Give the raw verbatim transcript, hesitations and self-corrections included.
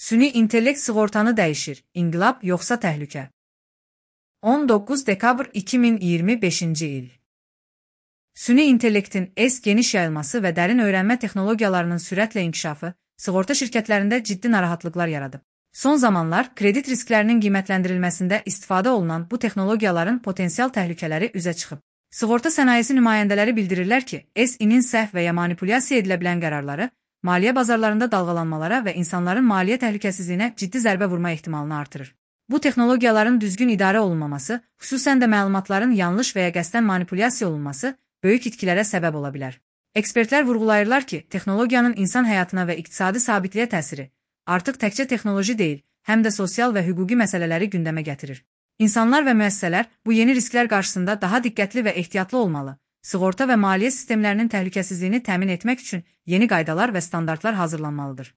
Süni intellekt sığortanı dəyişir, inqilab yoxsa təhlükə? on doqquz dekabr iki min iyirmi beşinci il. Süni intellektin S geniş yayılması və dərin öyrənmə texnologiyalarının sürətlə inkişafı sığorta şirkətlərində ciddi narahatlıqlar yaradıb. Son zamanlar kredit risklərinin qiymətləndirilməsində istifadə olunan bu texnologiyaların potensial təhlükələri üzə çıxıb. Sığorta sənayesi nümayəndələri bildirirlər ki, S I-nin səhv və ya manipulyasiya edilə bilən qərarları maliyyə bazarlarında dalğalanmalara və insanların maliyyə təhlükəsizliyinə ciddi zərbə vurma ehtimalını artırır. Bu texnologiyaların düzgün idarə olunmaması, xüsusən də məlumatların yanlış və ya qəsdən manipulyasiya olunması böyük itkilərə səbəb ola bilər. Ekspertlər vurğulayırlar ki, texnologiyanın insan həyatına və iqtisadi sabitliyə təsiri artıq təkcə texnoloji deyil, həm də sosial və hüquqi məsələləri gündəmə gətirir. İnsanlar və müəssisələr bu yeni risklər qarşısında daha diqqətli və ehtiyatlı olmalı. Sığorta və maliyyə sistemlərinin təhlükəsizliyini təmin etmək üçün yeni qaydalar və standartlar hazırlanmalıdır.